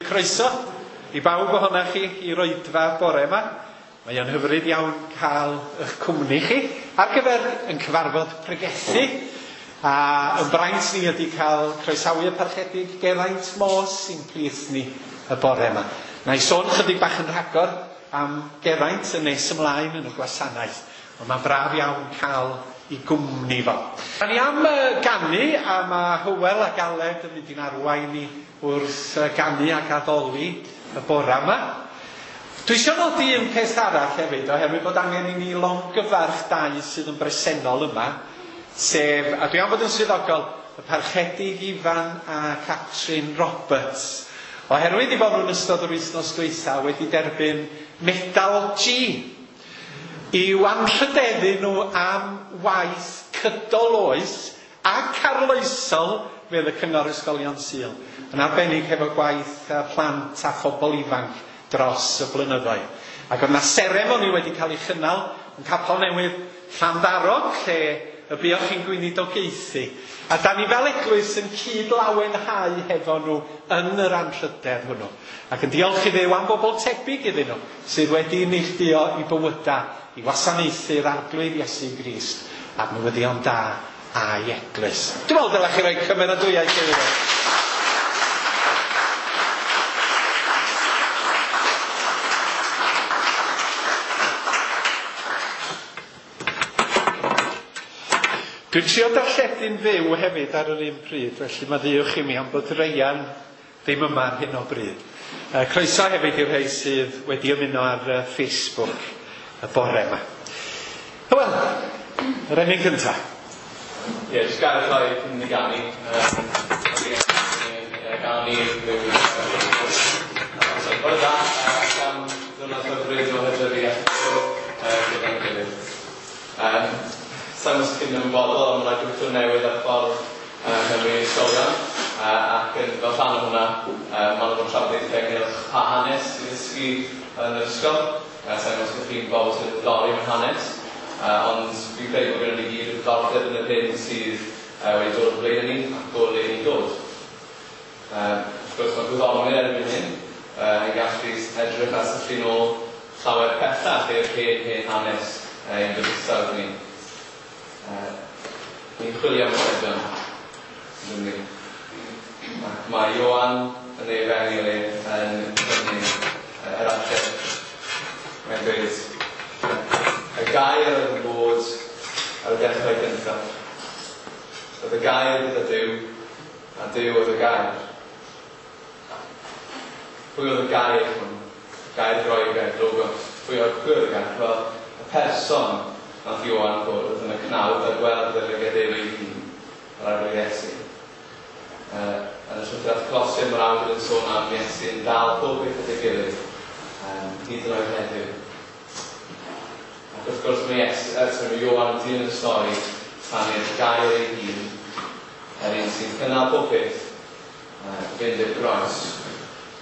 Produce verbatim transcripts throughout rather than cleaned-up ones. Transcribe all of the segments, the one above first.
Croeso i bawb ohonoch chi i'r oedfa bore yma. Mae o'n hyfryd iawn cael eich cwmni chi ar gyfer yn cyfarfod pregethu. A yn braint ni ydy cael croesawu y Parchedig Geraint Morse sy'n plith ni y bore yma. Na i sôn chydig bach yn rhagor am Geraint yn nes ymlaen yn y gwasanaeth. Ond mae'n braf iawn cael i gwmni fo. Da ni am ganu, a mae Hywel ac Aled yn mynd i'n arwain ni wrth ganu ac addoli y bore yma. Dwi eisiau nodi un peth arall hefyd, oherwydd bod angen i ni longyfarch dau sydd yn bresennol yma, sef, a dwi am fod yn swyddogol, y Parchedig Ifan a Catrin Roberts. Oherwydd i fod nhw'n ystod yr wythnos dwytha wedi derbyn Medal G i'w anrhydeddu nhw am waith cydol oes ac arloesol fel y Cyngor Ysgolion Sul, yn arbennig hefo gwaith plant a phobl ifanc dros y blynyddoedd. Ac oedd 'na seremoni wedi cael ei chynnal yn Capel Newydd Llanddarog, lle y buoch chi'n gweinidogaethu. A da ni fel eglwys yn cyd-lawenhau hefo nhw yn yr anrhydedd hwnnw. Ac yn diolch i Dduw am bobl tebyg iddyn nhw sydd wedi neilltuo i bywyda i wasanaethu'r Arglwydd Iesu Grist a'r newyddion da a'i eglwys. Dwi'n meddwl dylech chi roi cymeradwyaeth iddyn nhw. Dwi'n trio darlledu'n fyw hefyd ar yr un pryd, felly maddeuwch i mi am bod Reian ddim yma ar hyn o bryd. Croeso hefyd i'r rhai sydd wedi ymuno ar Facebook y bore yma. Wel, yr emyn cyntaf. Ie, yeah, jyst gael rhoi cyn i ganu. Ganu ryw... Bore da, am ddiwrnod hyfryd o hydrefi a gyda'n gilydd. Sa'n os chi'n ymwybodol, ond mae'n gwrthod newydd ar ffordd Cymru ysgolion, ac yn fel rhan o hwnna, maen nhw'n trafodaethau ynghylch pa hanes i ddysgu yn yr ysgol. Sa'n os chi'n bobl sydd yn diddori mewn hanes, ond fi'n credu bod gennym ni gyd ddiddordeb yn yr hyn sydd wedi dod o blaen ni ac o le ni'n dod. Wrth gwrs, mae gwyddonwyr erbyn hyn yn gallu edrych a syllu nôl llawer pellach i'r hen hen hanes ein bydysawd ni. Ni'n chwilio am atebion, ydym ni. Ac mae Ioan yn ei efengyl e yn cynnig yr ateb. Mae'n dweud, y gair oedd yn bod ar y dechrau gyntaf. Oedd y gair gyda Duw, a Duw oedd y gair. Pwy oedd y gair hwn? Gair Groegaidd, logos. Pwy oedd, pwy oedd y gair? Wel, y person nath Ioan gwrdd yn y cnawd a gweld y lygad ef ei hun, yr Arglwydd Iesu. Uh, yn y llythyr at Colosiaid mae'r awdur yn sôn am Iesu yn dal pob beth at ei gilydd, um, hyd yn oed heddiw. Ac wrth gwrs mae Iesu, uh, sorry, mae Ioan yn dilyn y stori tan i'r gair ei hun, yr un sy'n cynnal pob beth, uh, fynd i'r groes,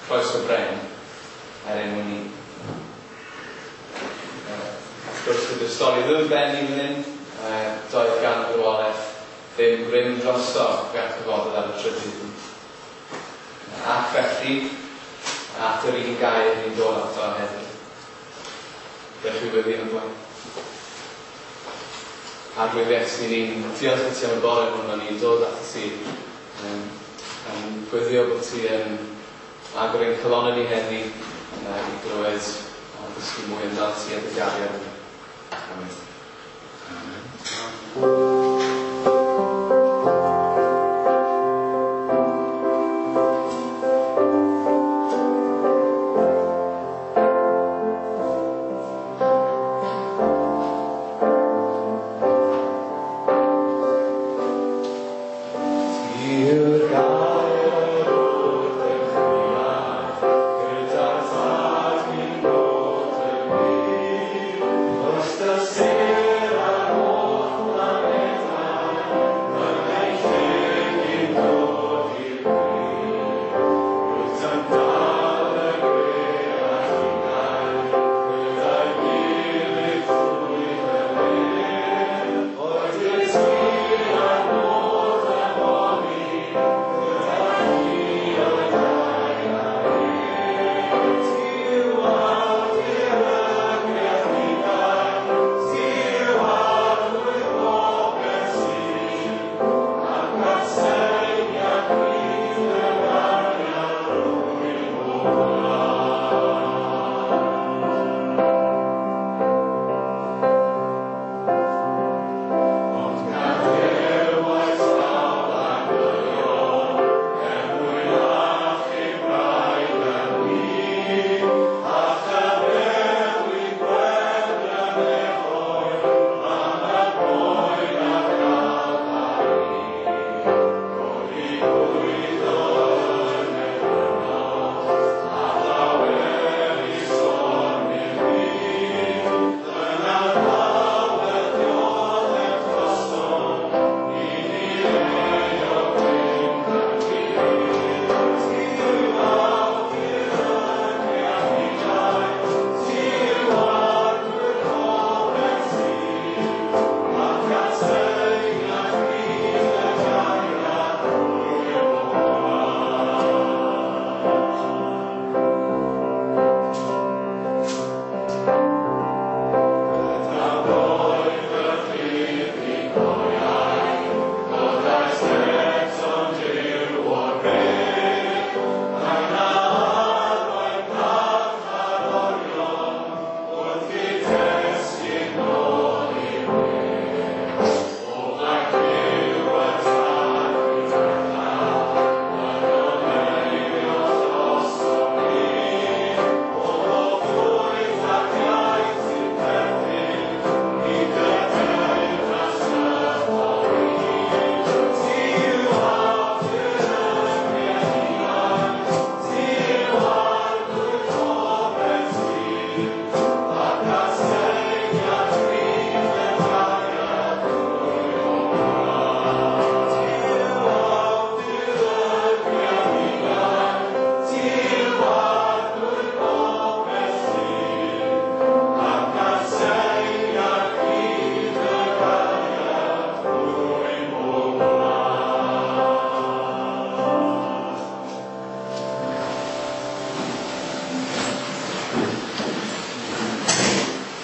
croes o bren, er ein mwyn ni. Wrth gwrs, gyda'r stori ddim yn benni fan hyn, doedd gan farwolaeth ddim grym drosto fe atgyfododd ar y trydydd. Ac felly, at yr un gair ni'n dod ato heddiw. Dewch i weddi yn blaen. Arglwydd Iesu, ni'n diolch i ti am y bore hwn, a ni'n dod ato ti um, yn gweddio bod ti yn agor ein calonnau ni heddi uh, i glywed a ddysgu mwy amdano ti a dy gariad. Amen. Amen. Sir ar holl blaned.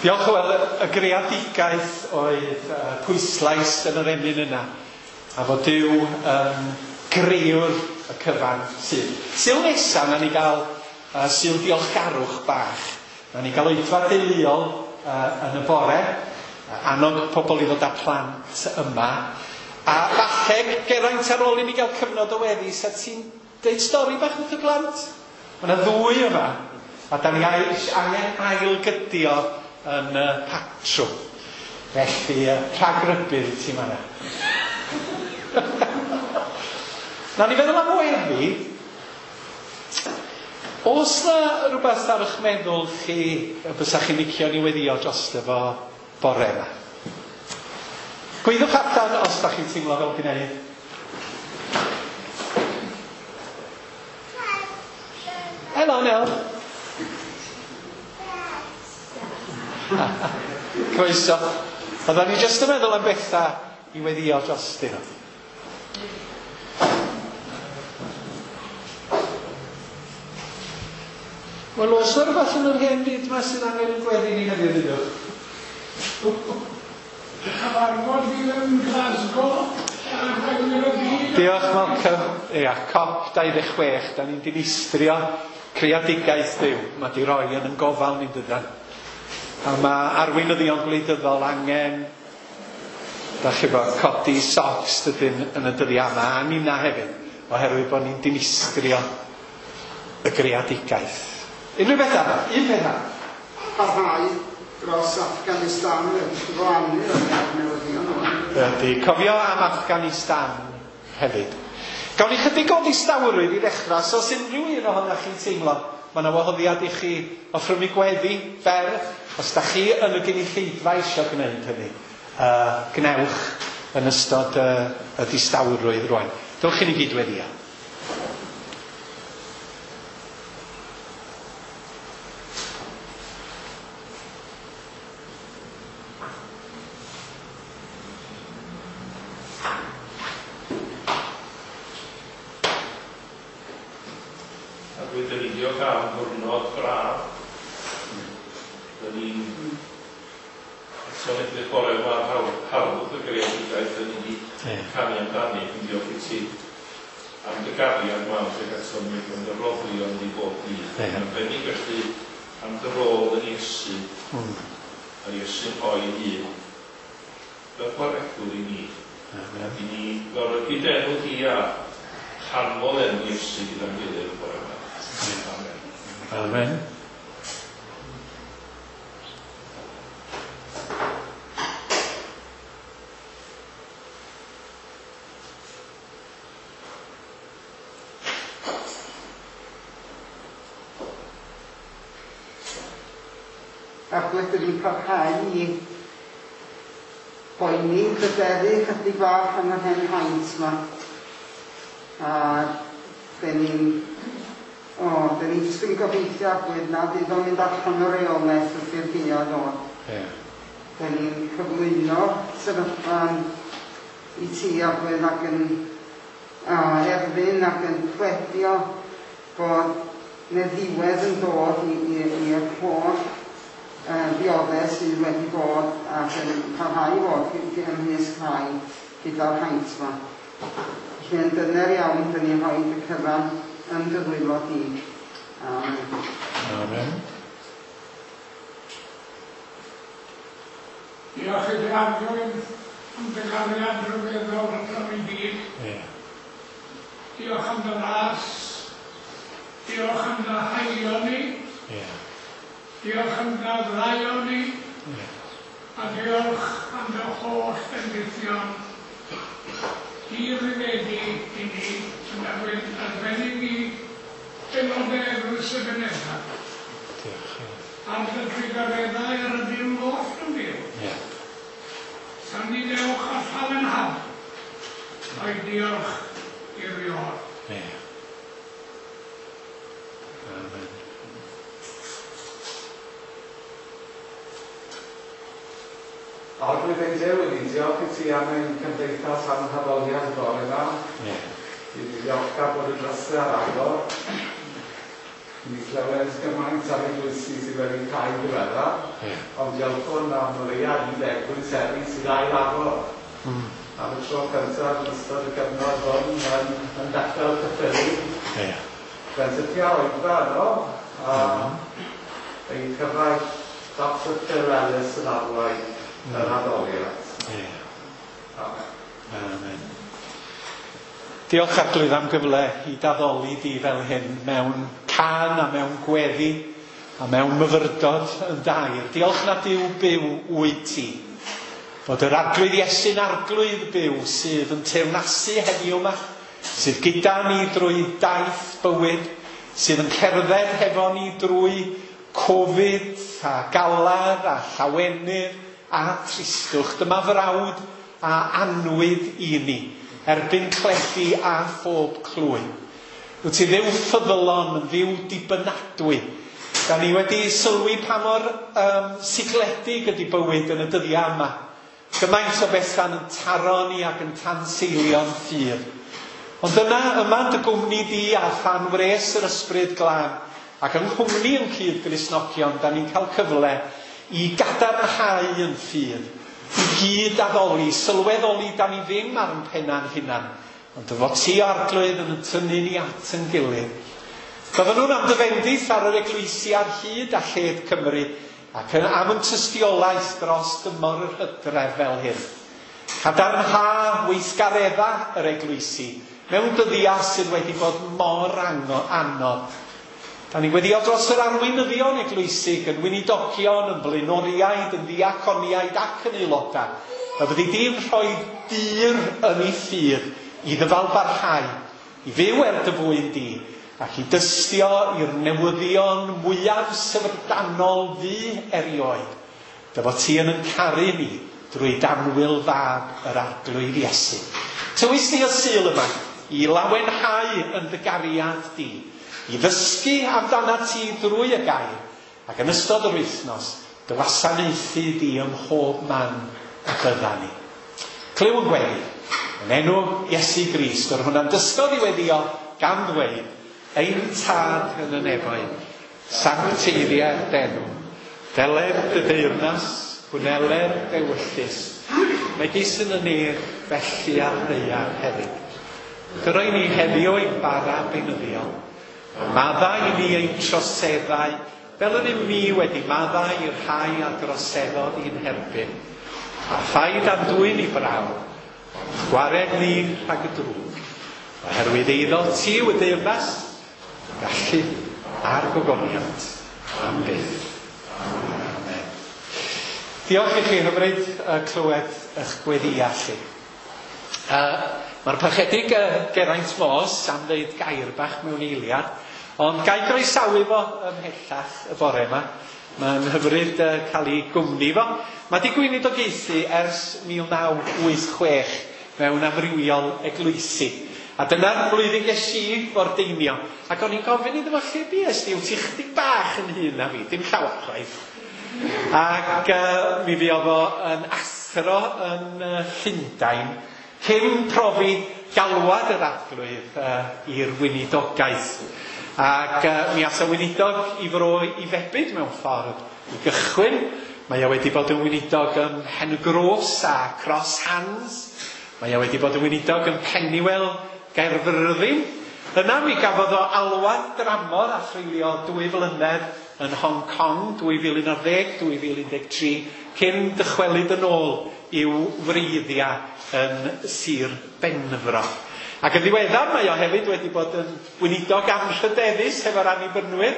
Diolch. Wel, y greadigaeth oedd uh, pwyslais yn yr emyn yna, a fod Duw yn grëwr y cyfan sydd. Sul nesa, na ni gael uh, sul diolchgarwch bach. Na ni gael oedfa deuluol uh, yn y bore, annog pobl i ddod â plant yma. A falle, Geraint, ar ôl i ni gael cyfnod o weddi, sa ti'n deud stori bach wrth y plant? Mae yna ddwy yma, a da ni angen ailgydio yn y patrwm. Felly, rhagrybudd i ti fan'na. Na ni feddwl am weddi. Oes na rhywbeth ar eich meddwl chi y bysa chi'n licio ni weddio drosto fo bore yma? Gweithiwch allan os da chi'n teimlo fel gwneud. Helo, Nel. Croeso. Oedden ni jyst yn meddwl am bethau i weddio drostyn nhw. Wel, oes yna rhywbeth yn yr hen fyd yma sydd angen yn gweddi ni heddiw, dydwch? Cyfarfod fydd yn Glasgow. Diolch, Malcolm. Ia, COP dau ddeg chwech, da ni'n dinistrio creadigaeth Duw. Mae di roi yn yn gofal ni'n dydan. A mae arweinyddion gwleidyddol angen, da chi bod, codi socks dydyn yn y dyddiau yma, a ninna hefyd, oherwydd bod ni'n dinistrio y greadigaeth. Unrhyw beth arall? Un peth arall? Parhau dros Afghanistan yn cyfrannu o'r newyddion yma. Ydy, cofio am Afghanistan hefyd. Gawn ni chydig o ddistawrwydd i ddechrau, so os unrhyw un ohonoch chi'n teimlo, mae yna wahoddiad i chi offrymu gweddi fer, os da chi yn y gynulleidfa eisiau gwneud hynny, uh, gnewch yn ystod uh, y distawrwydd rwan. Dewch i ni gyd weddio. Amen. Arglwydd, dyn ni'n parhau i boeni, pryderu chydig bach am yr hen haint yma. A dyn ni'n o, dyn ni'n jyst yn gobeithio, Arglwydd, na fydd o'n mynd allan o reolaeth wrth i'r gaeaf ddod. Yeah. Dyn ni'n cyflwyno sefyllfa i ti, Arglwydd, ac yn a, erfyn ac yn pledio bod 'na ddiwedd yn dod i'r holl ddioddef sydd wedi bod ac yn parhau i fod ymysg rhai gyda'r haint yma. Felly yn dyner iawn, dyn ni'n rhoi y cyfan yn dy ddwylo di. Amen. Amen. Diolch i ti, Arglwydd, am dy gariad rhyfeddol rhwng i gyd. Yeah. Diolch am dy ras. Diolch am dy haelioni. Yeah. Diolch am dy ddaioni. Yeah. A diolch am dy holl bendithion. Dirifedi i ni yn arbennig i aelodau Eglwys y Ebenezer. Diolch. Am dy drugareddau ar y dim oll yn byw. Yeah. San ni dewch a llawenhad o'i diolch i'r Ior. Yeah. Amen. Arglwydd ein Duw, ni'n diolch i ti am ein cymdeithas a'n haddoliad bore yma. Yeah. Ni'n diolchgar bod y drysau ar agor. Ni clywed gymaint ar eglwysi sydd wedi cael diweddar, yeah. Ond diolchwn am o leia un eglwys heddi sydd ail agor. Mm. Am y tro cyntaf yn ystod y cyfnod hwn yn, yn Bethel Caerffili. Yeah. Benthycia oedfa yno, a mm. ein cyfaill Doctor Phil Ellis yn arwain mm. yr addoliad. Yeah. Amen. Amen. Diolch Arglwydd am gyfle i daddoli di fel hyn mewn cân a mewn gweddi a mewn myfyrdod yn dair. Diolch na Duw byw wyt ti. Fod yr Arglwydd Iesu'n Arglwydd byw sydd yn teyrnasu heddiw yma, sydd gyda ni drwy daith bywyd, sydd yn cerdded hefo ni drwy Covid a galar a llawenydd a tristwch. Dyma frawd a annwyd i ni, erbyn cledu a phob clwy. Wyt ti Dduw ffyddlon, yn Dduw dibynadwy. Da ni wedi sylwi pa mor um, sigledig ydy bywyd yn y dyddiau yma. Gymaint o bethau'n yn taro ni ac yn tanseilio'n ffydd. Ond yna, yma dy gwmni di a than wres yr ysbryd glân, ac yng nghwmni yn cyd Gristnogion, da ni'n cael cyfle i gadarnhau yn ffydd, i gyd addoli, sylweddoli da ni ddim ar yn penna'n hunan, ond dy fod ti o Arglwydd yn tynnu ni at yn gilydd. Gofynnwn am dy fendith ar yr eglwysi ar hyd a lled Cymru, ac am yn tystiolaeth dros dymor yr hydref fel hyn. Cadarnha weithgaredda yr eglwysi mewn dyddiau sydd wedi bod mor anodd. Da ni'n gweddio dros yr arweinyddion eglwysig, yn weinidogion, yn blaenoriaid, yn ddiaconiaid ac yn aelodau. A byddi di'n rhoi dur yn ei ffydd i ddyfal barhau, i fyw er dy fwyn di, ac i dystio i'r newyddion mwyaf syfrdanol fu erioed. Dy fod ti yn yn caru ni drwy danwyl fab yr Arglwydd Iesu. Tywys ni y Sul yma i lawenhau yn dy gariad di, i ddysgu amdana ti drwy y gair, ac yn ystod yr wythnos, dy wasanaethu di ym mhob man y bydda ni. Clyw yn gweddi, yn enw Iesu Grist, yr hwnna'n dysgodd i weddio gan ddweud, ein tad yn y nefoedd, sancteiddier d'enw, deler dy deyrnas, gwneler d'ewyllys, megis yn y nef, felly ar ddaear hefyd. Gyrroi ni heddiw ein bara beunyddiol, maddau i ni ein troseddau, fel yr ym ni wedi maddau i'r rhai a droseddodd i'n herbyn. A phaid â'n dwyn i brawf, ond gwared ni rhag y drwg, oherwydd eiddo ti yw y deyrnas, gallu a'r gogoniant am byth. Amen. Diolch i chi hyfryd uh, clywed eich gweddiau chi. Uh, Mae'r parchedig uh, Geraint Moss am ddeud gair bach mewn eiliad, ond gai groesawu fo ymhellach y bore yma. Mae'n hyfryd uh, cael ei gwmni fo. Mae di gweinidogaethu ers mil naw wyth chwech mewn amrywiol eglwysi. A dyna'r blwyddyn ges i fordeinio. Ac o'n i'n gofyn iddo fo, lle bues di? Wyt ti chydig bach yn hŷn na fi, dim llawer chwaith. Ac uh, mi fuodd o yn athro yn uh, Llundain, cyn profi galwad yr Arglwydd uh, i'r weinidogaeth. Ac uh, mi ath y weinidog i fro i febyd mewn ffordd i gychwyn. Mae o wedi bod yn weinidog ym Mhen-y-gros a Cross Hands. Mae o wedi bod yn weinidog yn Pennywell, Gaerfyrddin. Yna mi gafodd o alwad dramor a threulio dwy flynedd yn Hong Kong, dwy fil un ar ddeg, dwy fil un deg tri, cyn dychwelyd yn ôl i'w wreiddiau yn Sir Benfro. Ac yn ddiweddar mae o hefyd wedi bod yn weinidog anrhydeddus hefo'r Annibynwyr.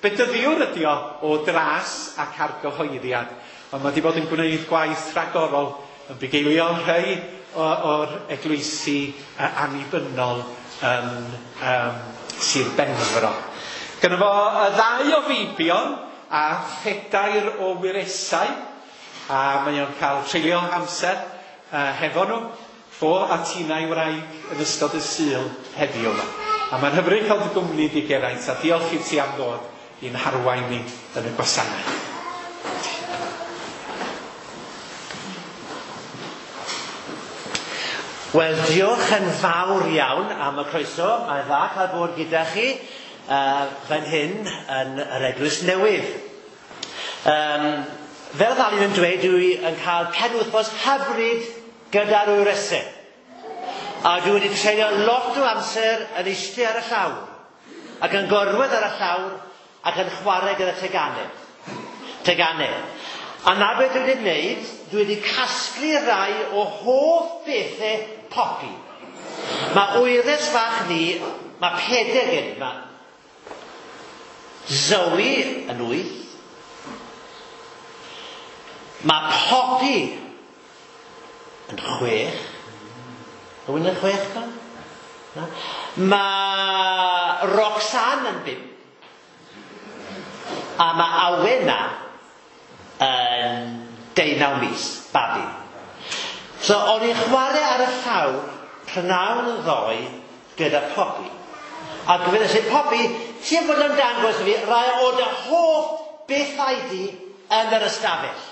Bedyddiwr ydi o o dras ac argyhoeddiad, ond mae wedi bod yn gwneud gwaith rhagorol yn bugeilio rhai o'r eglwysi annibynnol yn um, Sir Benfro. Gynno fo y ddau o feibion a phedair o wyresau, a mae o'n cael treulio amser uh, hefo nhw, fo a Tina i wraig yn ystod y Sul heddiw yma. A mae'n hyfryd cael dy gwmni di Geraint, a diolch i ti am ddod i'n harwain ni yn y gwasanaeth. Wel, diolch yn fawr iawn am y croeso. Mae'n dda cael bod gyda chi. uh, fan hyn yn yr Eglwys Newydd. Um, fel oedd Alun yn dweud, dwi yn cael penwythnos hyfryd gyda'r wyresau. A dwi wedi treulio lot o amser yn eistedd ar y llawr, ac yn gorwedd ar y llawr, ac yn chwarae gyda teganau. Teganau. A na beth dwi wedi gwneud, dwi wedi casglu rai o hoff bethau Poppy. Mae wyres fach ni, mae pedair gen i, mae Zoe yn wyth, mae Poppy yn chwech, Rwy'n yn chwech na? Na? Mae Roxanne yn bump, a mae Awena yn deunaw mis, babi. So, o'n i'n chwarae ar y llawr prynawn ddoe gyda Poppy. A gofynnes i Poppy, ti'n bod yn dangos i fi rai o dy hoff bethau di yn yr ystafell.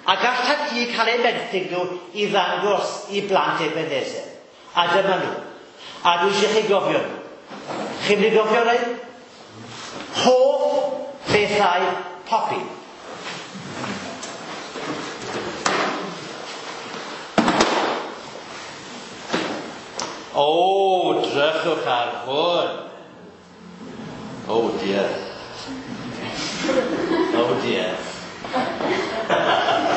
A gallat ti cael eu benthyg nhw i ddangos i blant Ebenezer. A dyma nhw. A dwi eisiau chi gofio nhw. Chi'n mynd i gofio rhaid? Hoff bethau Poppy. O, drychwch ar hwn. Oh dear. Oh dear.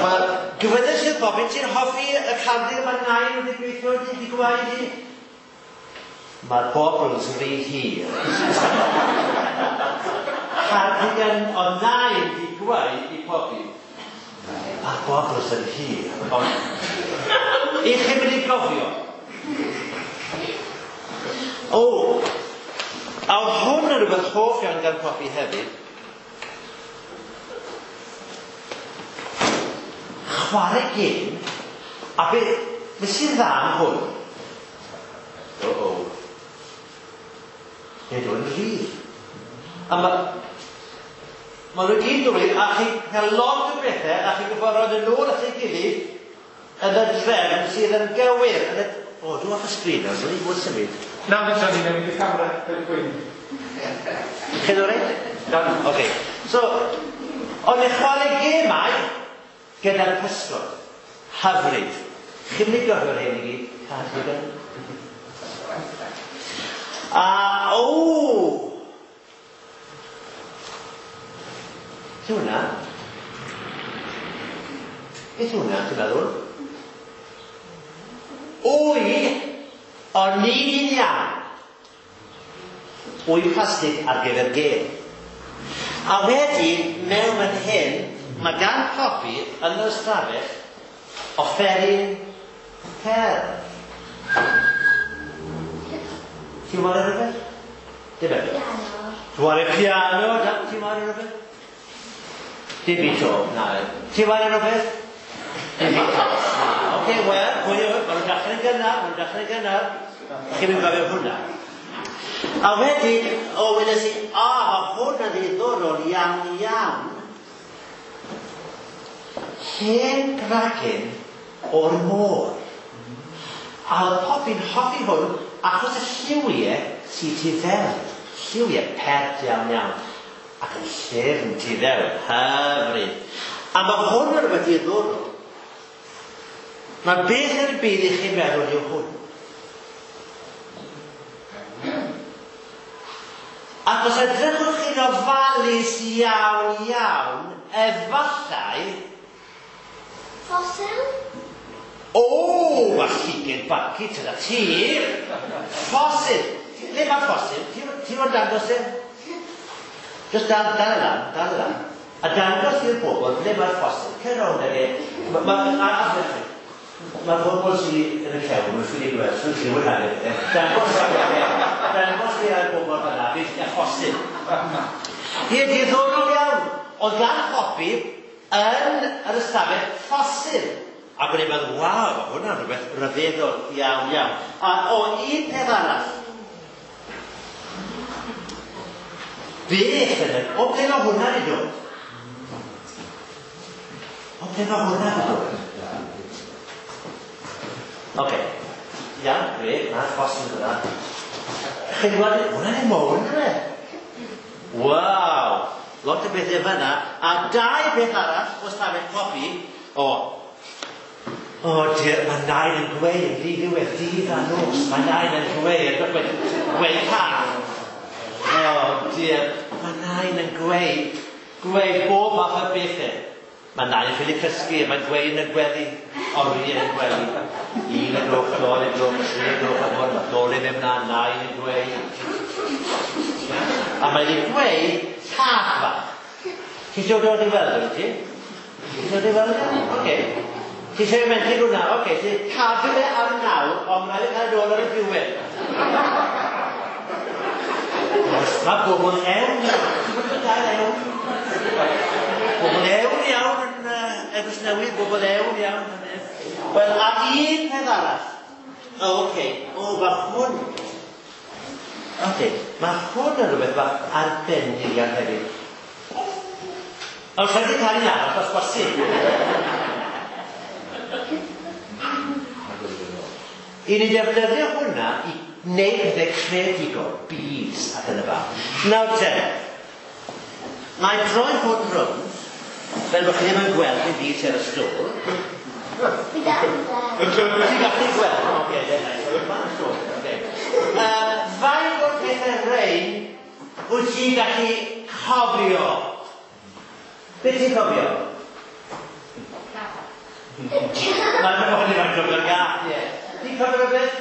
Wel, gofynnes i'r Poppy, ti'n hoffi y cardigan mae nain wedi gweithio di, di gwaed di? Mae'r bobls rhy hir. Cardigan o nain di gwaed i Poppy. Mae'r bobls yn hir. Ond, i chi mynd i gofio. O, a oedd hwn yn rhywbeth hoff iawn gan Poppy hefyd. Chwarae gêm, a be, be sy'n dda am hwn? O, o. Nid o'n rhydd. A ma, ma nhw gyd yn rhydd, a chi'n cael lot o bethau, a chi'n gwybod roed yn ôl at ei gilydd yn y drefn sydd yn gywir. Yn y... O, dwi'n off y sgrin nawr, dwi'n bod symud. Na, fe tro ni newid y camera, fel gwyn. Chi'n o'r reit? Oce. So, o'n i chwarae gemau gyda'r pysgod. Hyfryd. Chi'n mynd i gofio'r hyn i gyd? Cardigan. A, o! Beth yw hwnna? Beth yw hwnna, ti'n meddwl? Wy, o'n i'n iawn. Wy plastig ar gyfer gêm. A wedyn, mewn fan hyn, mae gan Poppy yn yr ystafell offeryn cerdd. Ti'n chwarae rhywbeth? Dim eto. Piano. Ti'n chwarae piano? Ti'n chwarae rhywbeth? Dim i to, na. Ti'n chwarae rhywbeth? Dim i to. Oce, wel, pwy yw, maen nhw'n dechrau'n gynnar, maen nhw'n dechrau'n gynnar. Chi'n mynd gofio hwnna. A wedyn, o, wedes i, a, mae hwn yn ddiddorol iawn iawn. Hen gragen o'r môr. A oedd Poppy'n hoffi hwn achos y lliwiau sydd tu fewn. Lliwiau pert iawn iawn. Ac yn llyfn tu fewn. Hyfryd. A mae hwn yn rhywbeth diddorol. Mae beth yn y byd i chi'n meddwl yw hwn. Ac os edrychwch chi'n ofalus iawn iawn, efallai... Ffosil? O, mae llyged bacu, tyna ti. Ffosil. Le mae ffosil? Ti'n fod dangos e? Just dal, dal e lan, dal e lan. A dangos i'r bobl ble mae'r ffosil. Cer rownd ag e. Mae'r bobl sydd yn y cefn, mae'n ffili gweld, sy'n lliw yn hanner. Dangos dangos i'r bobl fan'na, beth y ffosil. Ie, diddorol iawn. Oedd gan Poppy yn yr ystafell ffosil. Ac o'n i'n meddwl, waw, mae hwnna'n rhywbeth rhyfeddol iawn, iawn. A o, un peth arall. Beth yn y... O, ble mae hwnna wedi dod? O, ble mae hwnna wedi dod? Oce. Iawn, gred, mae'r ffosil yna. Chi'n gweld, hwnna'n ei mowr, yna fe? Waw! Lot o bethau fyna. A dau beth arall o stafell copi. O, o dear, mae nain yn gweud yn ddiddiwedd dydd a nos. Mae nain yn gweud, yn gweud cath. O dear, mae nain yn gweud, gweud bob math o bethau. Mae nain yn ffili cysgu, mae'n gweud yn y gwely, oriau yn gwely. Un y gloch, dol y gloch, tri y gloch, a mor, mae dol i ddim na, nain yn gweud. A mae'n ei gweud cath bach. Ti eisiau dod i weld o, ti? Ti eisiau dod i weld o? Oce. Ti eisiau menthu hwnna? Oce. Ti'n cadw fe ar nawr, ond mae'n rhaid i cael nôl ar y diwedd. Os mae bobl ewn iawn. Ti'n bod yn gael ewn? Bobl ewn iawn yn uh, Eglwys Newydd, bobl ewn iawn. Wel, a un peth arall. O, oce. O, mae hwn. Oce. Mae hwn yn rhywbeth bach arbennig iawn hefyd. Ond rhaid i cael un arall, os bosib. I ni defnyddio hwnna i wneud pethau creadigol, beads ac yn y fan. Nawr te, mae droi hwn rownd, fel bod chi ddim yn gweld dim byd ar y stôl. Ti'n gallu gweld? Oce, oce. Faint o'r pethau rhain wyt ti'n gallu cofio? Beth ti'n cofio? Mae'n mae'n cofio'r gath, ie. Ti'n cofio rhywbeth?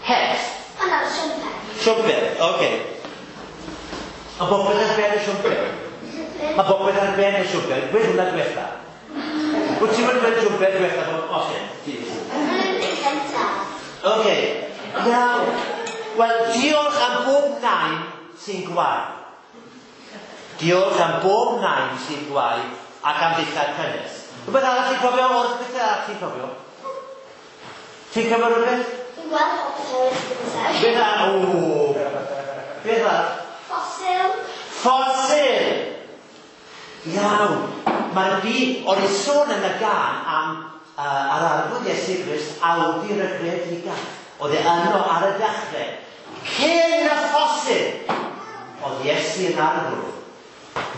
Het. O na, siwmper. Siwmper, oce. Mae bopeth ar ben y siwmper. Mae bopeth ar ben y siwmper. Gweud hwnna diwetha. Wyt ti'n mynd gweud siwmper diwetha bod oce? Oce. Iawn. Wel, diolch am bob nain sy'n gwau. Diolch am bob nain sy'n gwau ac am ddillad cynnes. Rhywbeth arall ti'n cofio? O'r beth arall ti'n cofio? Ti'n cofio rhywbeth? Dwi'n gweld popeth ar y gyntaf. Beth arall? O! Beth arall? Ffosil. Ffosil! Iawn. Mae'r byd, o'n i sôn yn y gân am uh, ar arglwydd Iesu Grist awdur y greadigaeth. Oedd e yno ar y dechrau. Cyn y ffosil, oedd Iesu yn arglwydd.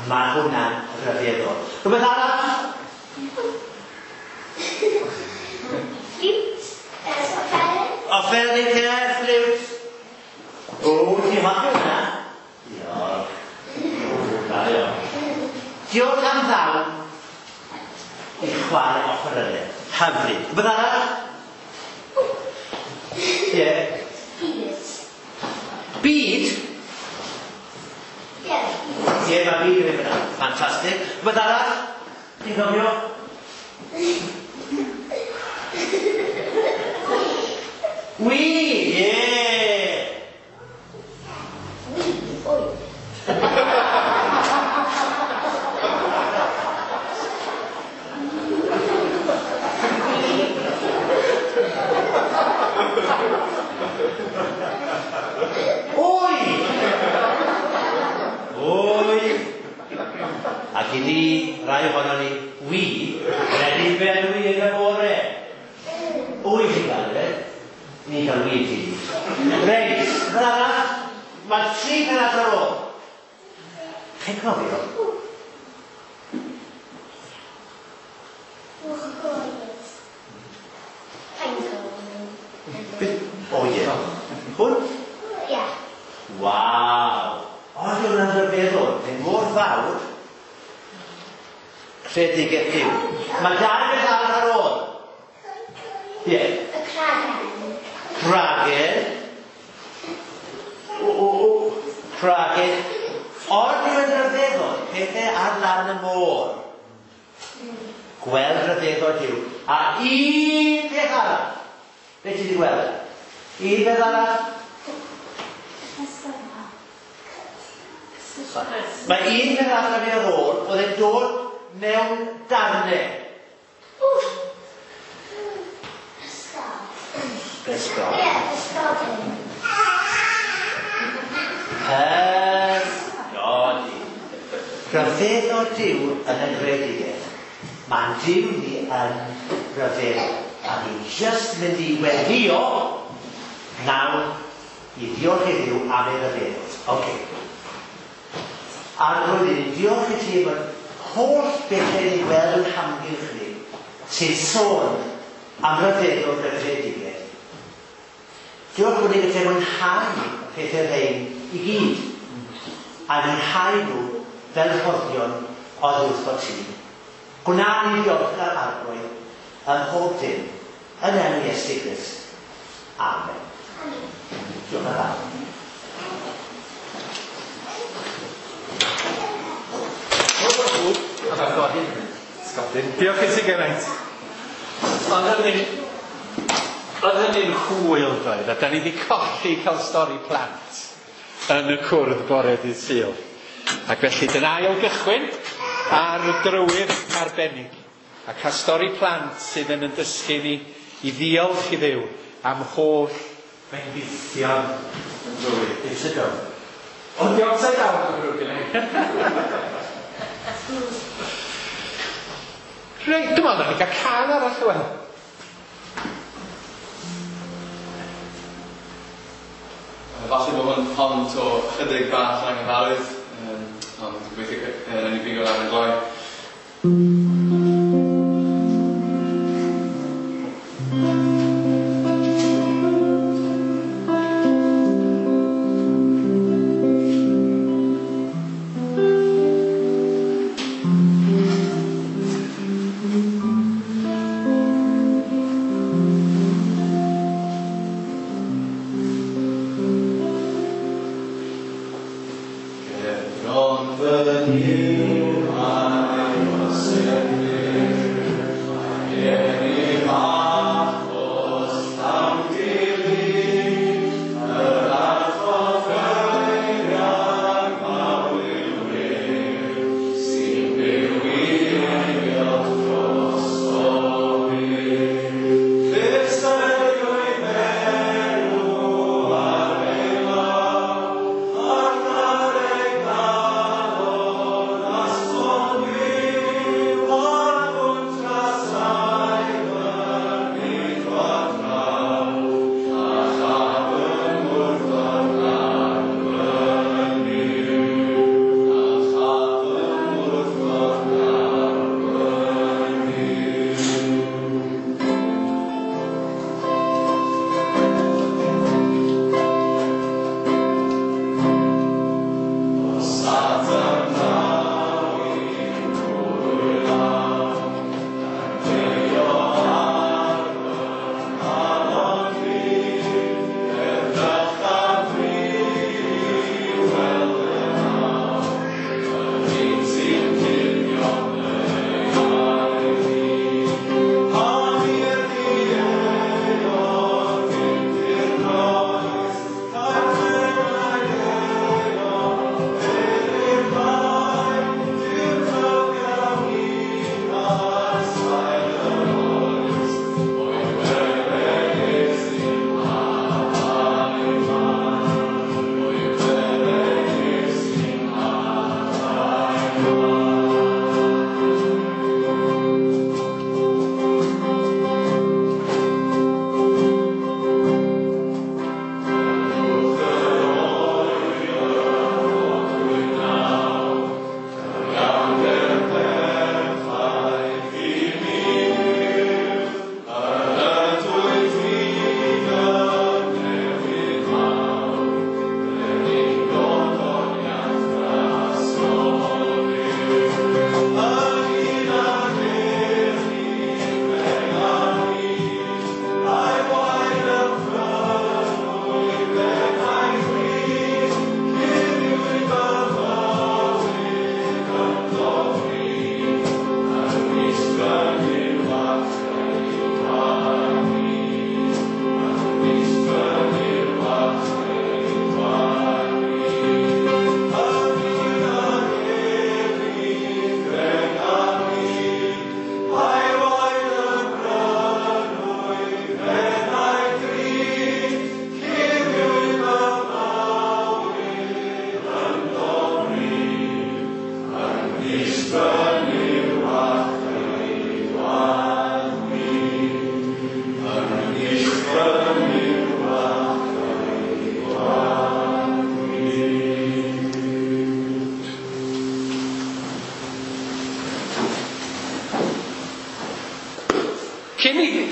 Mae hwnna'n rhyfeddol. Rhywbeth arall? Ffliwt. Offeryn. Offeryn, ie, ffliwt. O, ti'n hoffi hwnna? Diolch. O, da iawn. Diolch am ddawn i chwarae offerynnau. Hyfryd. Rhywbeth arall? Ie. Byd. Byd? Ie. Ie, mae byd yn mynd yna. Ffantastig. Rhywbeth arall? Ti'n cofio? Wi! Ie! Wi, oi. Oi! Oi! Ac i ni, rai ohono ni, wi, wedi benwi yn y bore. Wy chi'n gael e? Ni'n cael wi ti. Reit, fel arall, mae tri pennod ar ôl. Chi'n cofio? O ie. Hwn? Ie. Waw! Oedd hwnna'n rhyfeddol. Mae'n mor fawr. Creadigaeth Duw. Mae dau beth arall ar ôl. Ie. Y cragen. Cragen. O, o, o. Cragen. Ond yw yn rhyfeddol, pethau ar lan y môr. Gweld rhyfeddol Duw. A un peth arall. Be ti wedi gweld? Un peth arall? Mae un peth arall ar ei ôl, oedd e'n dod mewn darnau. Pysgod. Ie, pysgodyn. Pysgodyn. Rhyfeddol Duw yn y greadigaeth. Mae'n Duw ni yn rhyfeddol. A ni jyst mynd i weddio nawr i ddiolch i Dduw am ei ryfeddod. Oce. Arglwydd, i ni diolch i ti am yr holl bethau ni'n gweld yn hamgylch ni, sy'n sôn am ryfeddod y greadigaeth. Diolch bod ni'n gallu mwynhau y pethau rhain i gyd, a mwynhau nhw fel rhoddion oddi wrtho ti. Gwna ni ddiolchgar Arglwydd ym mhob dim, yn enw Iesu Grist. Amen. Diolch yn fawr. Sgodyn. Diolch i ti gymaint. Ond hynny, oedd hynny'n hwyl doedd, a da ni wedi colli cael stori plant yn y cwrdd bore dydd Sul. Ac felly dyna ail gychwyn ar y drywydd arbennig. A cael stori plant sydd yn yn dysgu ni i ddiolch i Dduw am holl bendithion yn fywyd. It's a go. Ond di upside down yn ddrwg gen i. Reit, dwi'n meddwl na ni gael can arall o wel. Falle bod hwn hon to chydig bach yn anghyfarwydd, um, ond gobeithio uh, nawn ni bigo lan yn gloi. Gerbron fy Nuw mae osenir, gennym achos llawn gilydd, yr atgoffeiriad mawr yw wir, sy'n byw i eilio dros byth. Fe enw ar ei law, ac ar ei galon asgwrn.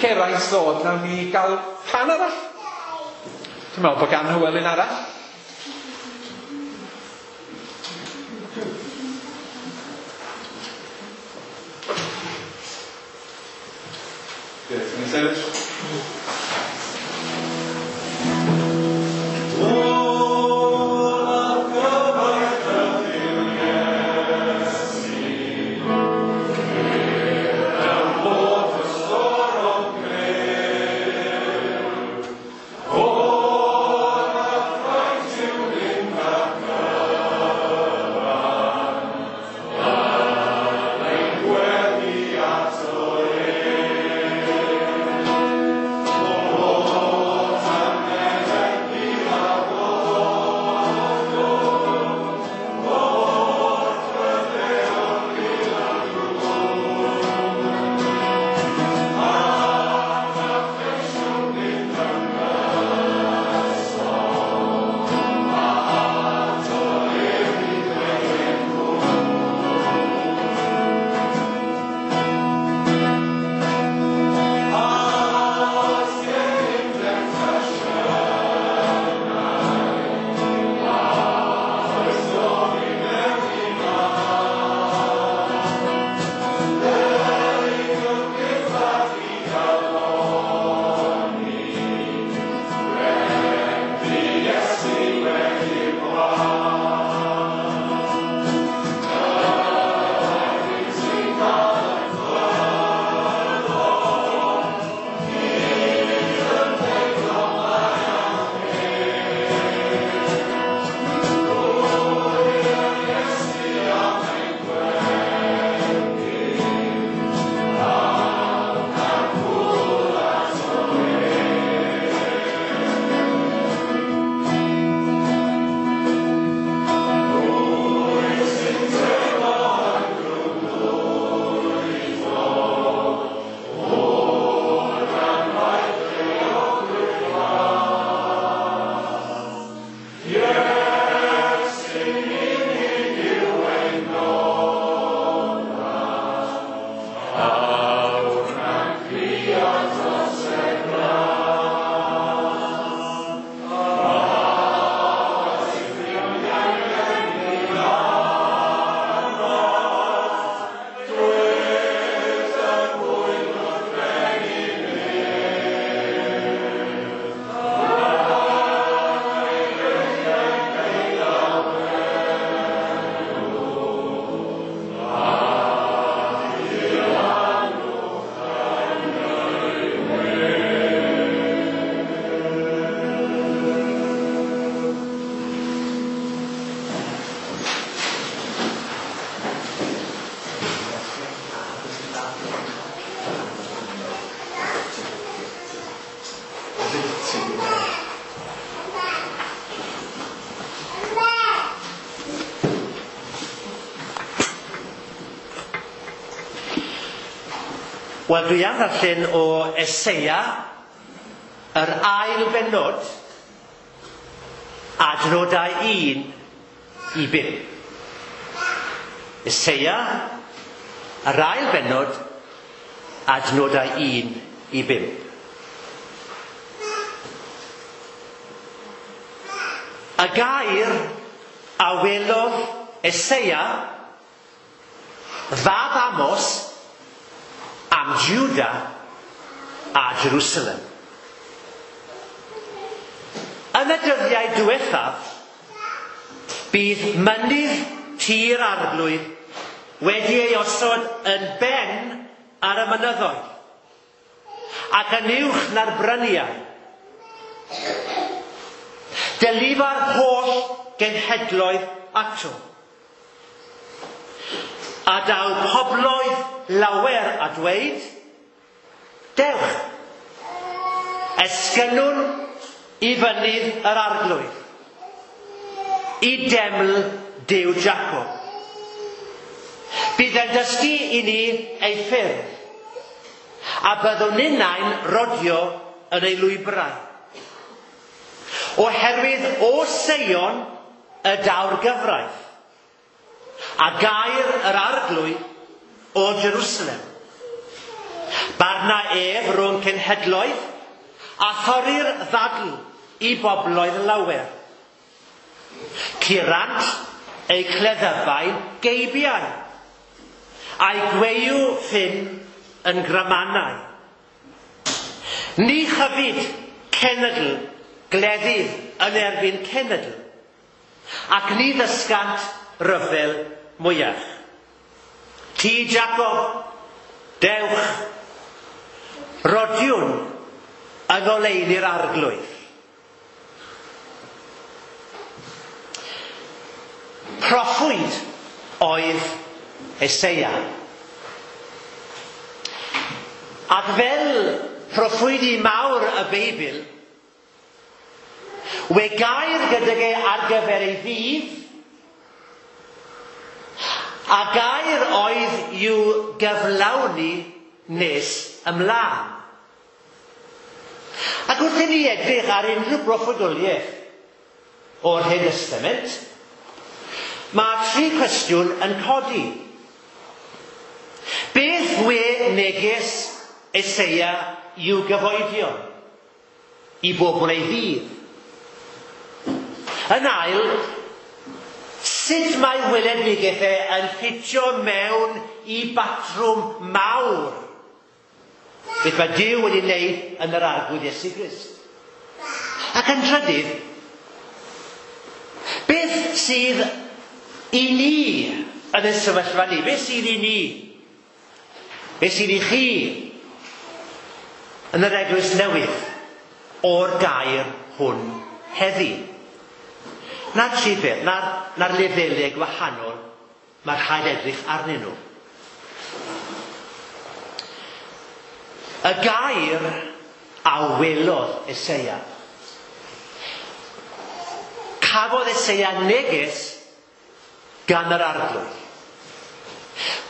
Geraint ddod, nawn ni gael pan arall. Dwi'n meddwl bod gan Hywel un arall. Good, can you sefyll? Wel, dwi am ddarllen o Eseia, yr ail bennod, adnodau un i bump. Eseia, yr ail bennod, adnodau un i bump. Y gair a welodd Eseia, fab Amos, am Juda a Jerusalem. Yn y dyddiau diwethaf, bydd mynydd tir arglwydd wedi ei osod yn ben ar y mynyddoedd, ac yn uwch na'r bryniau. Delifa'r holl genhedloedd ato. A daw pobloedd lawer a dweud, dewch, esgynnwn i fynydd yr arglwydd, i deml Duw Jacob. Bydd e'n dysgu i ni ei ffyrdd, a byddwn ninnau'n rodio yn ei lwybrau. Oherwydd o Seion y daw'r gyfraith, a gair yr arglwydd o Jerusalem. Barna ef rhwng cenhedloedd a thorri'r ddadl i bobloedd lawer. Curant eu cleddyfau'n geibiau, a'i gweiw ffyn yn gramanau. Ni chyfyd cenedl gleddyf yn erbyn cenedl, ac ni ddysgant ryfel mwyach. Ti, Jacob, dewch, rodiwn yng ngoleuni'r arglwydd. Proffwyd oedd Eseia. Ac fel proffwydi mawr y Beibl, we gair gydag e ar gyfer ei ddydd, a gair oedd i'w gyflawni nes ymlaen. Ac wrth i ni edrych ar unrhyw broffwydoliaeth o'r Hen Testament, mae tri cwestiwn yn codi. Beth we neges Eseia i'w gyfoedion, i bobl ei ddydd? Yn ail, sut mae weledigaeth e yn ffitio mewn i batrwm mawr? Beth mae Duw wedi wneud yn yr Arglwydd Iesu Grist? Ac yn trydydd, beth sydd i ni yn y sefyllfa ni? Beth sydd i ni? Beth sydd i chi yn yr eglwys newydd o'r gair hwn heddi? Na'r tri peth, na'r, na'r lefelau gwahanol mae rhaid edrych arnyn nhw. Y gair a welodd Eseia. Cafodd Eseia neges gan yr Arglwydd.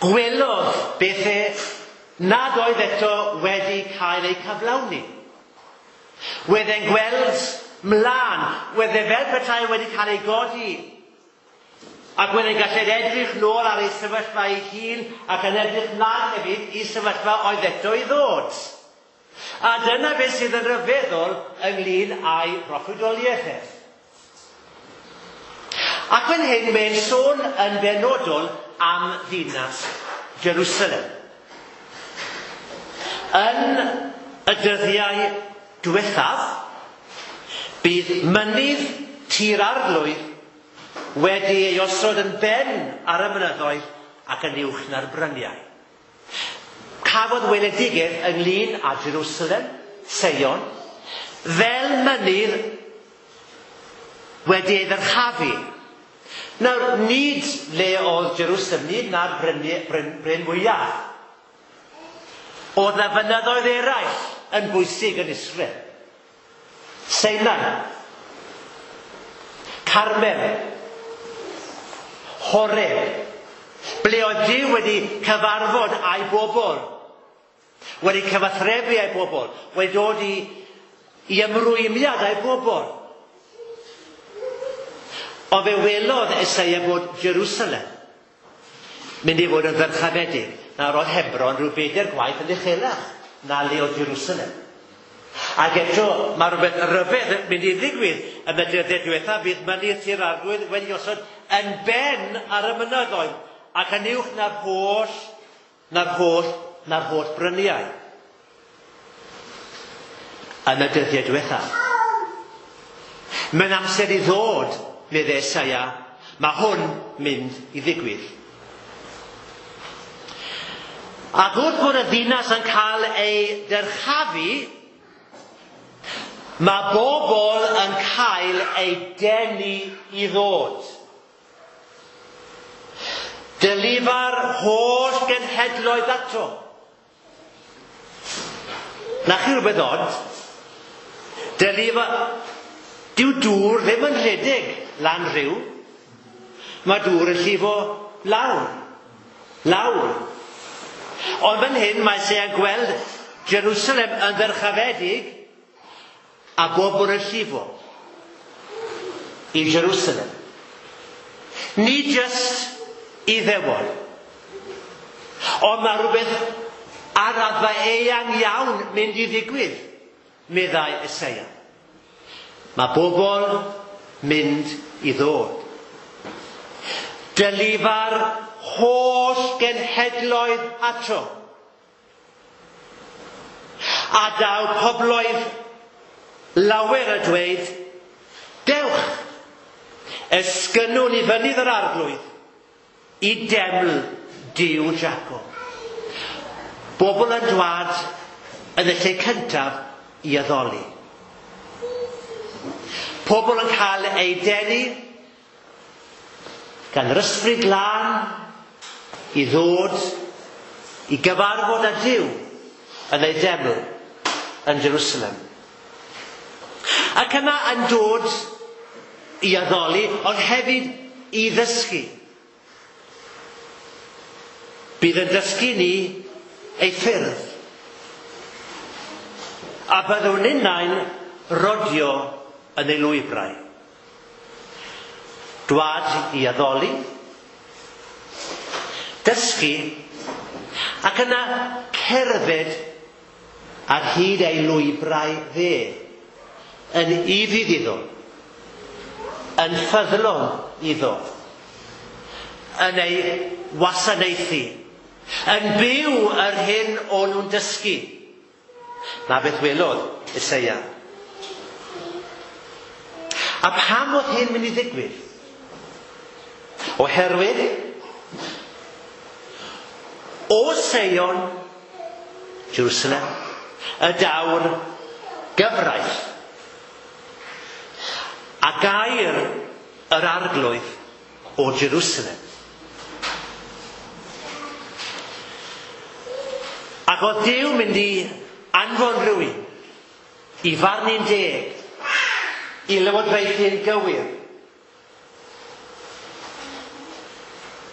Gwelodd bethau nad oedd eto wedi cael eu cyflawni. Wedd e'n gweld mlaen, wedd e fel petai wedi cael ei godi, ac wedd e'n gallu edrych nôl ar ei sefyllfa ei hun ac yn edrych mlaen hefyd i sefyllfa oedd eto i ddod. A dyna beth sydd yn rhyfeddol ynglyn â'i broffwydoliaeth ef. Ac fan hyn mae'n sôn yn benodol am ddinas Jerusalem. Yn y dyddiau diwethaf, bydd mynydd Tŷ'r Arglwydd wedi ei osod yn ben ar y mynyddoedd ac yn uwch na'r bryniau. Cafodd weledigaeth ynglyn â Jerusalem, Seion, fel mynydd wedi ei ddyrchafu. Nawr, nid le oedd Jerusalem, nid na'r bryn, bryn, bryn mwyaf. Oedd na fynyddoedd eraill yn bwysig yn Israel. Sinai, Carmel, Horeb, ble oedd Duw wedi cyfarfod â'i bobl, wedi cyfathrebu â'i bobl, wedi dod i, i ymrwymiad â'i bobl. Ond fe welodd Eseia bod Jerusalem mynd i fod yn ddyrchafedig. Nawr oedd Hebron rhyw bedair gwaith yn uchelach na le oedd Jerusalem. Ac eto mae rhywbeth rhyfedd yn mynd i ddigwydd yn y dyddiau diwethaf. Bydd mynydd Tŷ'r Arglwydd wedi osod yn ben ar y mynyddoedd ac yn uwch na'r holl, na'r holl, na'r holl bryniau. Yn y dyddiau diwethaf. Mae'n amser i ddod, meddai Eseia, mae hwn mynd i ddigwydd. Ac wrth bod y ddinas yn cael ei dyrchafu, mae bobl yn cael ei denu i ddod. Dylifa'r holl genhedloedd ato. Na chi rhywbeth od? Dylifa... Dyw dŵr ddim yn rhedeg lan rhyw. Mae dŵr yn llifo lawr. Lawr. Ond fan hyn mae Eseia'n gweld Jerusalem yn ddyrchafedig a bobl yn llifo i Jerusalem. Nid jyst Iddewon. Ond mae rhywbeth Ar raddfa eang iawn mynd i ddigwydd, meddai Eseia. Mae bobl mynd i ddod. Dylifa'r holl genhedloedd ato. A daw pobloedd lawer a dweud, dewch, esgynnwn i fynydd yr arglwydd i deml Duw Jacob. Bobl yn dwad yn y lle cyntaf i addoli. Pobl yn cael eu denu gan yr ysbryd glân i ddod i gyfarfod â Duw yn ei deml yn Jerusalem. Ac yna yn dod i addoli, ond hefyd i ddysgu. Bydd yn dysgu ni ei ffyrdd. A byddwn ninnau'n rodio yn ei lwybrau. Dwad i addoli, dysgu, ac yna cerdded ar hyd ei lwybrau dde, yn ufudd iddo, yn ffyddlon iddo, yn ei wasanaethu, yn byw yr hyn o'n nhw'n dysgu. Na beth welodd Eseia. A pam oedd hyn mynd i ddigwydd? Oherwydd, o Seion, Jerusalem, y daw'r gyfraith a gair yr arglwydd o Jerusalem. Ac oedd Duw mynd i anfon rhywun i farnu'n deg, i lywodraethu'n gywir.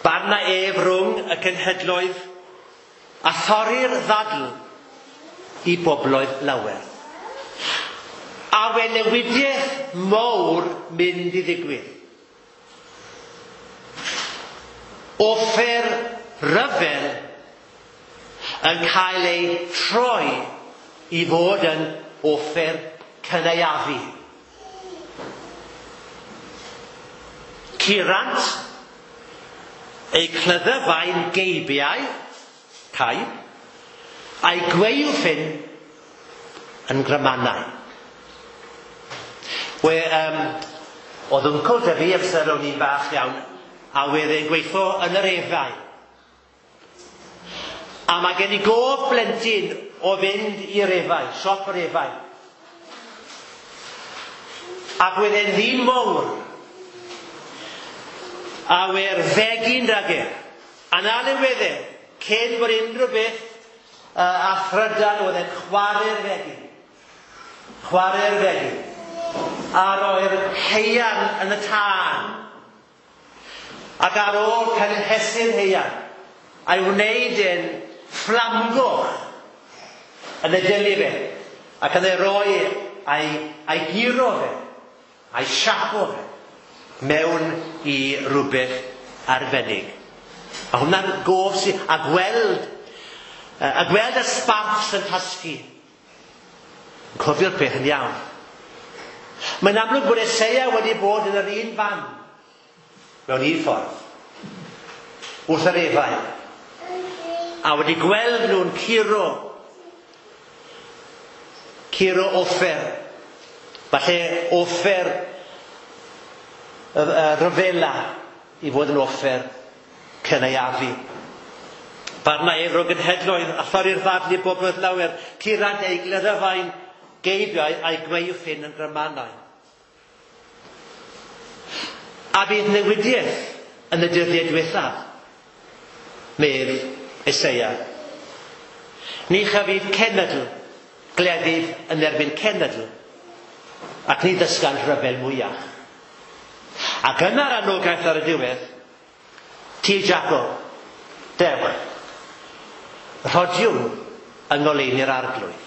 Barna ef rhwng y cenhedloedd a thorri'r ddadl i bobloedd lawer. A we newidiaeth mawr mynd i ddigwydd. Offer rhyfel yn cael ei troi i fod yn offer cynaeafu. Curant ei clyddyfau'n geibiau, caib, a'i gwaywffyn yn grymanau. We, um, oedd wncwl dy fi amser o'n i'n bach iawn, a wedd e'n gweithio yn yr efau. A mae gen i gof blentyn o fynd i'r efau, siop yr efau. Ac wedd e'n ddyn mowr. A we'r fegin rhag e. A na le wedd e, cyn bod unrhyw beth uh, a thrydan oedd e'n chwarae'r fegin. Chwarae'r fegin. A roi'r heian yn y tân. Ac ar ôl cynhesu'r heian, a'i wneud e'n fflamgoch yn y dylu fe, ac yn ei roi a'i, a'i guro fe, a'i siapo fe, mewn i rhywbeth arbennig. A hwnna'n gof sydd, a gweld, a gweld y sparks yn tasgu. Yn cofio'r peth yn iawn. Mae'n amlwg bod Eseia wedi bod yn yr un fan, mewn un ffordd, wrth yr efau, a wedi gweld nhw'n curo, curo offer, falle offer y, y rhyfela i fod yn offer cynaeafu. Barna ef rhwng genhedloedd a thorri'r ddadl i bobloedd lawer, curant ei gleddyfau'n geibiau a'i gwaywffyn yn grymanau. A bydd newidiaeth yn y dyddiau diwethaf, medd Eseia. Ni chafydd cenedl gleddyf yn erbyn cenedl, ac ni ddysgan rhyfel mwyach. Ac yna'r anogaeth ar y diwedd, ti Jacob, dewch, rhodiwn yng ngoleuni'r arglwydd.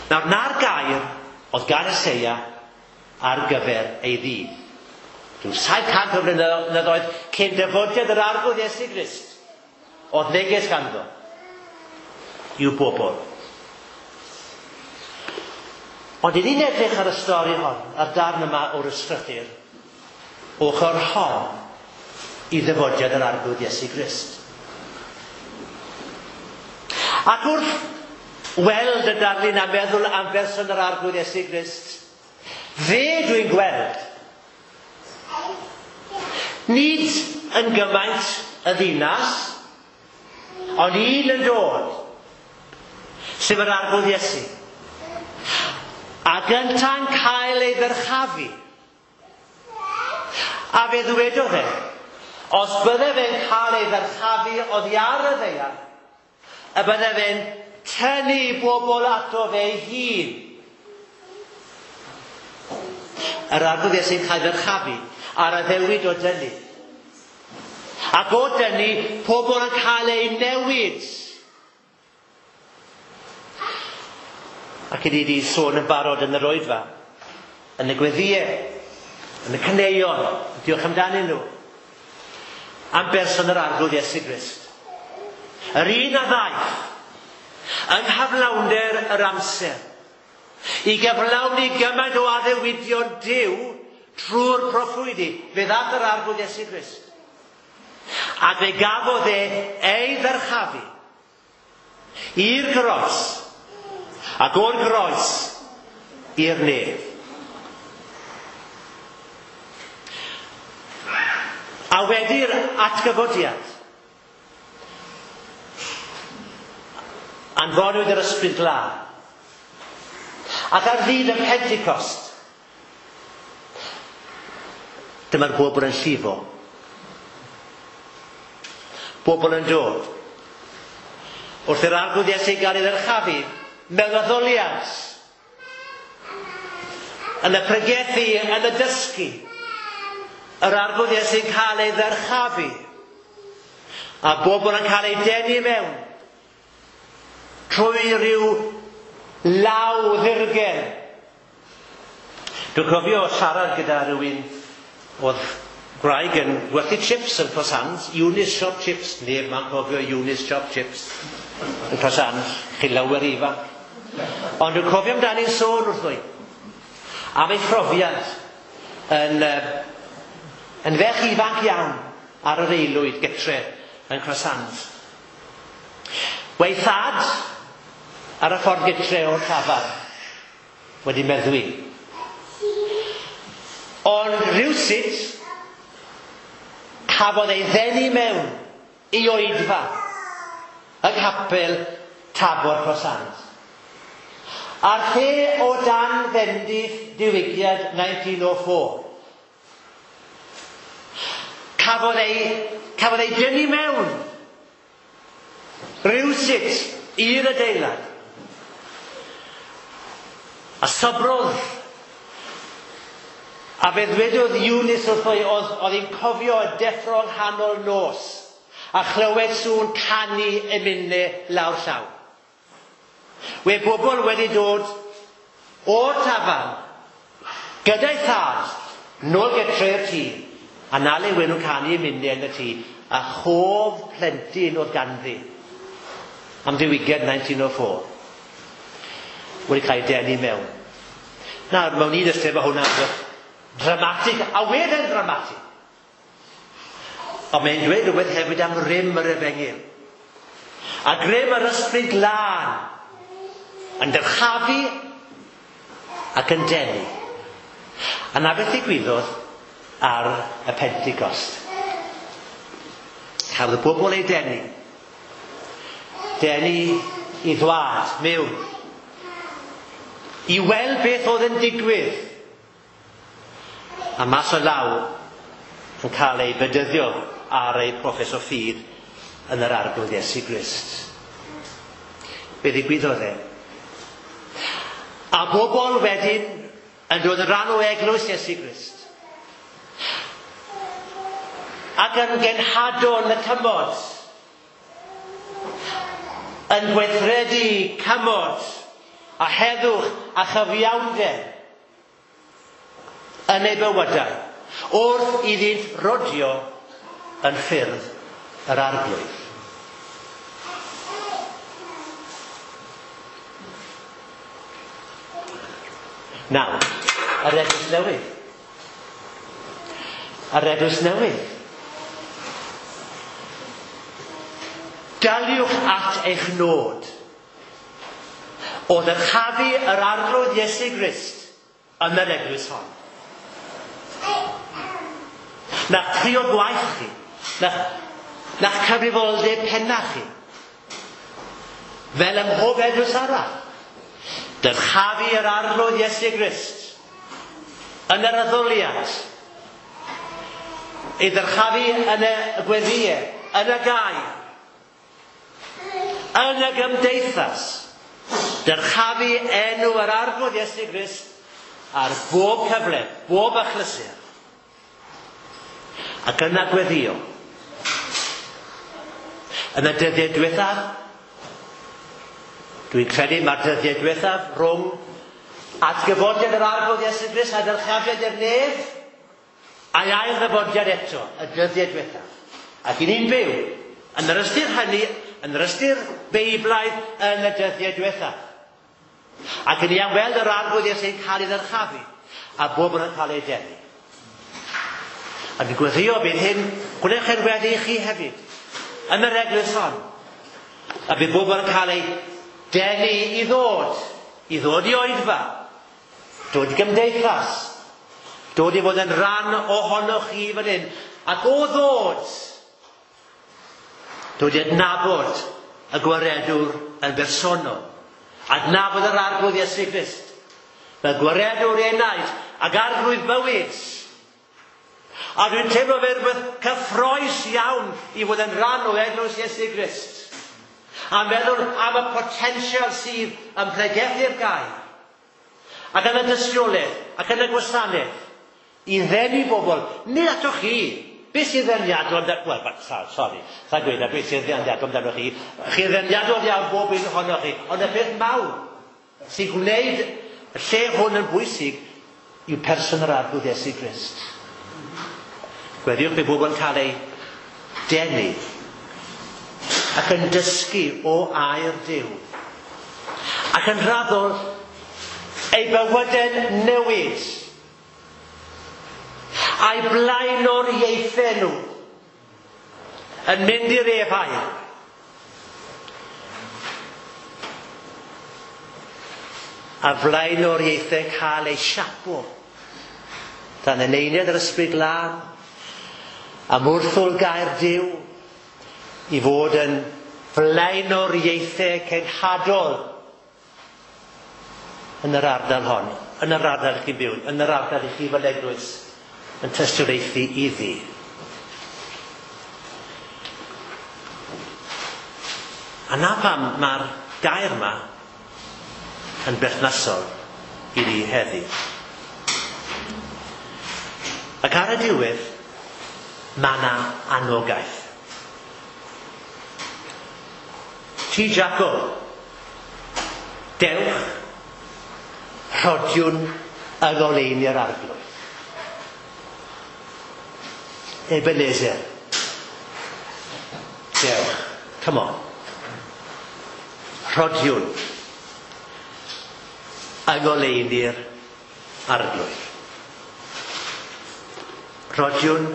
Nawr, na'r gair oedd gan Eseia ar gyfer ei ddydd. Rhyw saith cant o flynyddoedd cyn dyfodiad yr arglwydd Iesu Grist, oedd neges ganddo. i'w bobl. Ond i ni'n edrych ar y stori hon, ar darn yma o'r ysgrythur, ochr hon i ddyfodiad yr Arglwydd Iesu Grist. Ac wrth weld y darlun a meddwl am berson yr Arglwydd Iesu Grist, fe dwi'n gweld nid yn gymaint y ddinas, ond un yn dod, sef yr Arglwydd Iesu. A gynta'n cael ei ddyrchafu. A fe ddwedodd e, os bydde fe'n cael ei ddyrchafu oddi ar y ddaear, y bydde fe'n tynnu bobl ato fe ei hun. Yr Arglwydd Iesu'n cael ddyrchafu ar addewid o dynnu. Ac o dynnu, pobl yn cael eu newid. Ac i ni wedi sôn yn barod yn yr oedfa, yn y gweddïau, yn y caneuon, diolch amdanyn nhw, am berson yr Arglwydd Iesu Grist. Yr un a ddaeth, yng nghyflawnder yr amser, i gyflawni gymaint o addewidion Duw trwy'r proffwydi, fe ddaeth yr Arglwydd Iesu Grist. Ac fe gafodd e ei ddyrchafu i'r groes, ac o'r groes i'r nef. A wedi'r atgyfodiad, anfonwyd yr Ysbryd Glân. Ac ar ddydd y Pentecost, dyma'r bobl yn llifo. Bobl yn dod. Wrth i'r Arglwydd Iesu gael ei ddyrchafu, mewn addoliad, yn y pregethu, yn y dysgu, yr Arglwydd Iesu'n cael ei ddyrchafu, a bobl yn cael ei denu mewn, trwy ryw law ddirgel. Dwi'n cofio siarad gyda rhywun oedd gwraig yn gwerthu chips yn Cross Hands, Eunice Shop Chips, neb ma'n cofio Eunice Shop Chips yn Cross Hands, chi lawer ifanc. Ond dwi'n cofio amdani'n sôn wrtho i am ei phrofiad yn, yn ferch ifanc iawn ar yr aelwyd gytre yn Cross Hands. Wei thad ar y ffordd gytre o'r tafarn wedi meddwi. Ond rhywsut cafodd ei ddenu mewn i oedfa yng nghapel Tabor Cross Hands. A'r lle o dan fendith diwygiad nineteen oh four. Cafodd ei, cafodd ei dynnu mewn rhywsut i'r adeilad. A sobrodd. A fe ddwedodd Eunice wrtho i, oedd, oedd hi'n cofio y deffro yng nghanol nos a chlywed sŵn canu emynau lawr llaw. We bobl wedi dod o'r tafarn gyda'i thad nôl gytre'r tŷ, a na le wen nhw'n canu emynau yn y tŷ, a chof plentyn oedd ganddi am ddiwygiad nineteen oh four wedi cael ei denu mewn. Nawr, mewn un ystyr mae hwnna'n dramatig, a wedd e'n dramatig. Ond mae'n dweud rhywbeth hefyd am rym yr efengyl. A grym yr Ysbryd Glân yn dyrchafu ac yn denu. A na beth ddigwyddodd ar y Pentecost. Cafodd y bobl eu denu. Denu i ddwad mewn. I weld beth oedd yn digwydd. A mas o law yn cael ei bedyddio ar ei proffes o ffydd yn yr Arglwydd Iesu Grist. Be ddigwyddodd e? A bobl wedyn yn dod yn rhan o eglwys Iesu Grist. Ac yn genhadon y cymod. Yn gweithredu cymod a heddwch a chyfiawnder yn eu bywydau, wrth iddynt rodio yn ffyrdd yr Arglwydd. Nawr, yr eglwys newydd. Yr eglwys newydd. Daliwch at eich nod o ddyrchafu yr Arglwydd Iesu Grist yn yr eglwys hon. Na'ch priod gwaith chi, na'ch, na'ch cyfrifoldeb penna chi, fel ym mhob eglwys arall, dyrchafu yr Arglwydd Iesu Grist yn yr addoliad, ei ddyrchafu yn y gweddïau, yn y gair, yn y gymdeithas, dyrchafu enw yr Arglwydd Iesu Grist ar bob cyfle, bob achlysur. Ac yna gweddio. Yn y dyddiau diwethaf, dwi'n credu mae'r dyddiau diwethaf rhwng atgyfodiad yr Arglwydd Iesu Grist a dyrchafiad i'r nef, a'i ail ddyfodiad eto, y dyddiau diwethaf. Ac i ni'n byw yn yr ystyr hynny, yn yr ystyr Beiblaidd yn y dyddiau diwethaf. Ac i ni am weld yr Arglwydd Iesu'n cael ei ddyrchafu, a bob yn cael ei denu. A dwi'n gweddio bydd hyn, gwnewch e'n weddi i chi hefyd, yn yr eglwys hon. A bydd bobl yn cael ei denu i ddod, i ddod i oedfa, dod i gymdeithas, dod i fod yn rhan ohonoch chi fan hyn, ac o ddod, dod i adnabod y gwaredwr yn bersonol, adnabod yr Arglwydd Iesu Grist, fel gwaredwr enaid ac arglwydd bywyd. A dwi'n teimlo fe rhywbeth cyffrous iawn i fod yn rhan o eglwys Iesu Grist. A meddwl am y potensial sydd yn pregethu'r gair, ac yn y dystiolaeth, ac yn y gwasanaeth, i ddenu bobl, nid atoch chi. Beth sy'n ddeniadol amdano... Wel, sori, sa'n gweud na beth sy'n ddeniadol amdano chi. Chi'n ddeniadol iawn bob un ohonoch chi, ond y peth mawr sy'n gwneud y lle hwn yn bwysig yw person yr Arglwydd Iesu Grist. Gweddiwch bydd bobl yn cael ei denu ac yn dysgu o air Duw, ac yn raddol ei bywydau'n newid, a'i blaenoriaethau nhw yn mynd i'r efail. A blaenoriaethau cael eu siapo dan eneiniad yr Ysbryd Glân, am wrthol gair Duw, i fod yn flaenoriaethau cenhadol yn yr ardal hon, yn yr ardal chi'n byw, yn yr ardal i chi fel eglwys yn tystiolaethu iddi. A na pam mae'r gair yma yn berthnasol i ni heddi. Ac ar y diwedd, mae yna anogaeth. Ti Jacob, dewch, rhodiwn yng ngoleuni'r Arglwydd. Ebenezer, dewch, come on, rhodiwn yng ngoleuni'r Arglwydd. Rhodiwn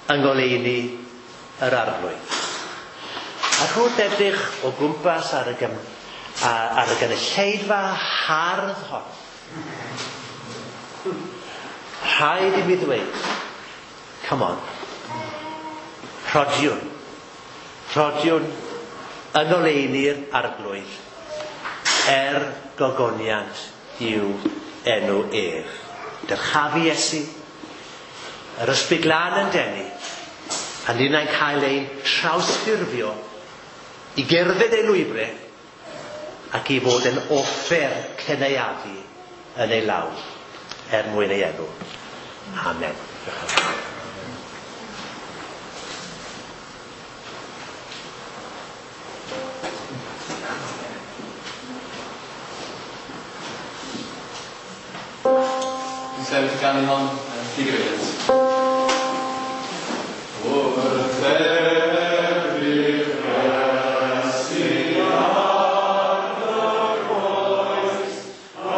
yng ngoleuni yr Arglwydd. Ac wrth edrych o gwmpas ar y, gym, ar y gynulleidfa hardd hon, rhaid i mi ddweud, come on, rhodiwn, rhodiwn yng ngoleuni'r Arglwydd, er gogoniant i'w enw ef. Dyrchafu Iesu, yr Ysbryd Glân yn denu, a ninnau'n cael ein trawsffurfio i gerdded ei lwybrau ac i fod yn offer cynaeafu yn ei law er mwyn ei enw. Amen. Dwi'n sefyll i ganu hon, digyfeiriant. Wrth edrych Iesu ar y groes, a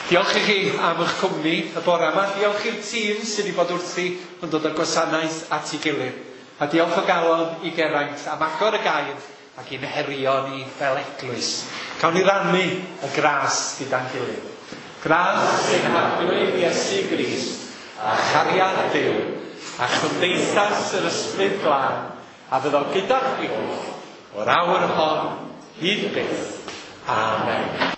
Diolch i chi am eich cwmni y bore yma. Diolch i'r tîm sydd wedi bod wrthi yn dod â'r gwasanaeth at ei gilydd. A diolch o galon i Geraint am agor y gair ac i'n herio ni fel eglwys. Cawn ni rannu y gras gyda'n gilydd. Gras ein Harglwydd Iesu Grist a chariad Duw a chymdeithas yr Ysbryd Glân a fyddo gyda chwi o'r awr hon hyd byth. Amen.